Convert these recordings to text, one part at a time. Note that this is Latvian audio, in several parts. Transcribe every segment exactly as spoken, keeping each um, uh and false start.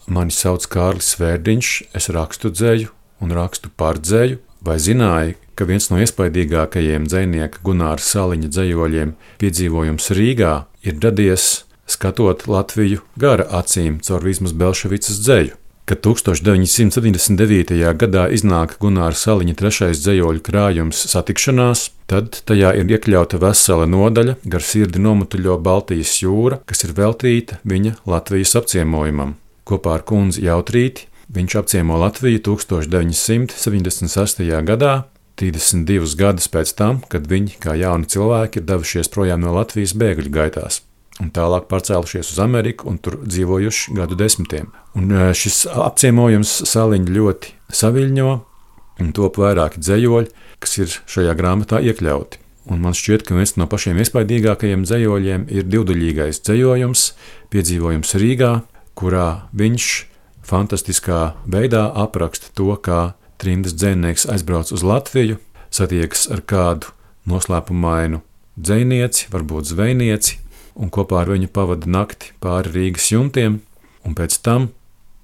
Mani sauc Kārlis Svērdiņš, es rakstu dzeju un rakstu par dzeju. Vai zināji, ka viens no iespaidīgākajiem dzejnieka Gunāra Saliņa dzejoļiem Piedzīvojums Rīgā ir radies skatot Latviju gara acīm caur Vizmas Belševicas dzeju? Kad tūkstoš deviņi simti septiņdesmit devītajā gadā iznāk Gunāra Saliņa trešais dzejoļu krājums Satikšanās, tad tajā ir iekļauta vesela nodaļa Gar sirdi nomutuļo Baltijas jūra, kas ir veltīta viņa Latvijas apciemojumam. Kopā ar kundzi Jautrīti viņš apciemo Latviju tūkstoš deviņi simti septiņdesmit sestajā gadā, trīsdesmit divus gadus pēc tam, kad viņi, kā jauni cilvēki, ir devušies projām no Latvijas bēgļu gaitās un tālāk pārcēlušies uz Ameriku un tur dzīvojuši gadu desmitiem. Un šis apciemojums Saliņu ļoti saviļņo un top vairāki dzejoļi, kas ir šajā grāmatā iekļauti. Un man šķiet, ka viens no pašiem iespaidīgākajiem dzejoļiem ir divdaļīgais dzejojums Piedzīvojums Rīgā, kurā viņš fantastiskā veidā apraksta to, kā trimdas dzejnieks aizbrauc uz Latviju, satiekas ar kādu noslēpumainu dzejnieci, varbūt zvejnieci, un kopā ar viņu pavada nakti pāri Rīgas jumtiem, un pēc tam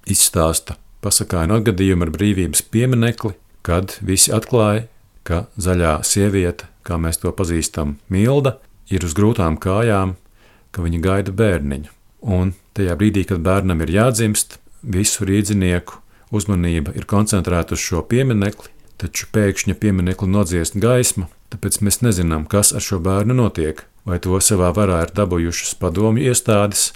izstāsta pasakainu atgadījumu ar brīvības pieminekli, kad visi atklāja, ka zaļā sieviete, kā mēs to pazīstam, Milda, ir uz grūtām kājām, ka viņa gaida bērniņu. Un tajā brīdī, kad bērnam ir jādzimst, visu rīdzinieku uzmanība ir koncentrēta uz šo pieminekli, taču pēkšņi pieminekli nodziest gaisma, tāpēc mēs nezinām, kas ar šo bērnu notiek. Vai to savā varā ir dabūjušas padomju iestādes,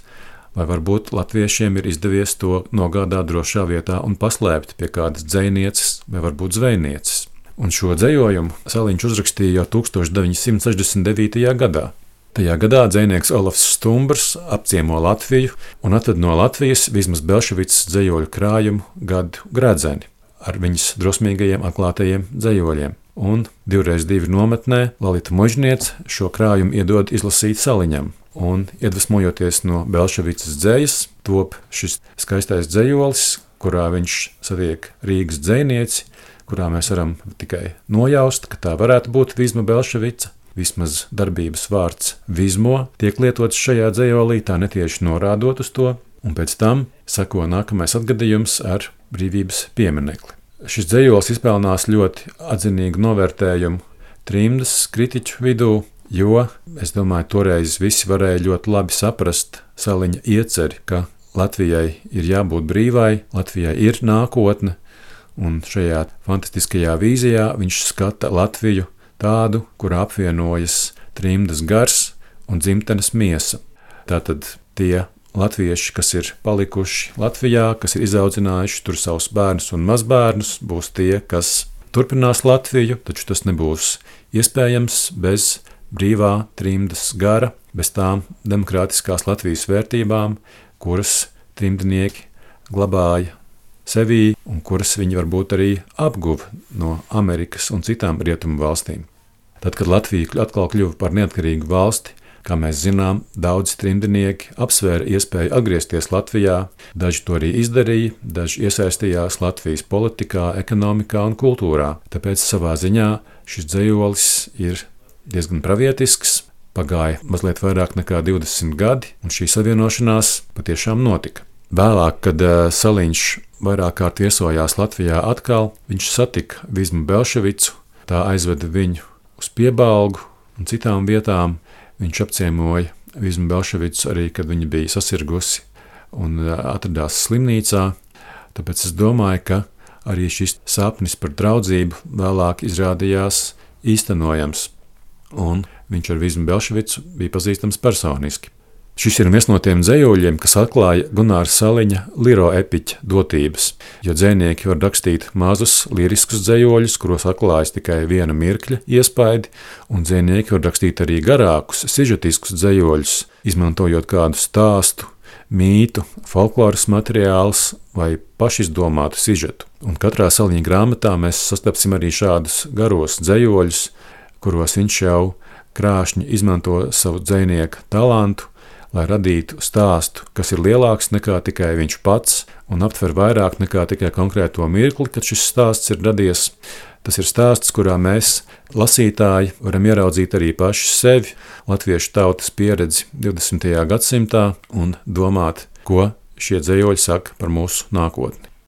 vai varbūt latviešiem ir izdevies to nogādāt drošā vietā un paslēpt pie kādas dzejnieces vai varbūt zvejnieces. Un šo dzejojumu Saliņš uzrakstīja jau tūkstoš deviņi simti sešdesmit devītajā gadā. Tajā gadā dzejnieks Olafs Stumbrs apciemo Latviju un atved no Latvijas Vizmas Belševicas dzejoļu krājumu Gadu gredzeni ar viņas drosmīgajiem atklātajiem dzejoļiem. Un divreiz divi nometnē Lalita Mužniece šo krājumu iedod izlasīt Saliņam. Un iedvesmojoties no Belševicas dzejas, top šis skaistais dzejolis, kurā viņš satiek Rīgas dzejnieci, kurā mēs varam tikai nojaust, ka tā varētu būt Vizma Belševica. Vismaz darbības vārds Vizmo tiek lietots šajā dzejolī, tā netieši norādot uz to, un pēc tam sako nākamais atgadījums ar brīvības pieminekli. Šis dzejols izpelnās ļoti atzinīgu novērtējumu trimdas kritiķu vidū, jo, es domāju, toreiz visi varēja ļoti labi saprast Saliņa ieceri, ka Latvijai ir jābūt brīvai, Latvijai ir nākotne, un šajā fantastiskajā vīzijā viņš skata Latviju tādu, kur apvienojas trimdas gars un dzimtenes miesa. Tātad tie latvieši, kas ir palikuši Latvijā, kas ir izaudzinājuši tur savus bērnus un mazbērnus, būs tie, kas turpinās Latviju, taču tas nebūs iespējams bez brīvā trimdas gara, bez tām demokrātiskās Latvijas vērtībām, kuras trimdnieki glabāja sevī un kuras viņi varbūt arī apguva no Amerikas un citām rietumu valstīm. Tad, kad Latvija atkal kļuva par neatkarīgu valsti, kā mēs zinām, daudzi trimdnieki apsvēra iespēju atgriezties Latvijā, daži to arī izdarīja, daži iesaistījās Latvijas politikā, ekonomikā un kultūrā. Tāpēc savā ziņā šis dzejolis ir diezgan pravietisks, pagāja mazliet vairāk nekā divdesmit gadi, un šī savienošanās patiešām notika. Vēlāk, kad Saliņš vairāk kārt viesojās Latvijā atkal, viņš satika Vizmu Belševicu, tā aizveda viņu uz Piebalgu un citām vietām. Viņš apciemoja Vizmu Belševicu arī, kad viņa bija sasirgusi un atradās slimnīcā. Tāpēc es domāju, ka arī šis sapnis par draudzību vēlāk izrādījās īstenojams, un viņš ar Vizmu Belševicu bija pazīstams personiski. Šis ir viens no tiem dzejoļiem, kas atklāja Gunāra Saliņa liro epiķa dotības, jo dzejnieki var rakstīt mazus liriskus dzejoļus, kuros atklājas tikai viena mirkļa iespaidi, un dzejnieki var rakstīt arī garākus, sižetiskus dzejoļus, izmantojot kādu stāstu, mītu, folkloras materiālus vai pašizdomātu sižetu. Un katrā Saliņa grāmatā mēs sastapsim arī šādus garos dzejoļus, kuros viņš jau krāšņi izmanto savu dzejnieka talantu, lai radītu stāstu, kas ir lielāks nekā tikai viņš pats un aptver vairāk nekā tikai konkrēto mirkli, kad šis stāsts ir radies. Tas ir stāsts, kurā mēs, lasītāji, varam ieraudzīt arī paši sevi, latviešu tautas pieredzi divdesmitajā gadsimtā un domāt, ko šie dzējoļi saka par mūsu nākotni.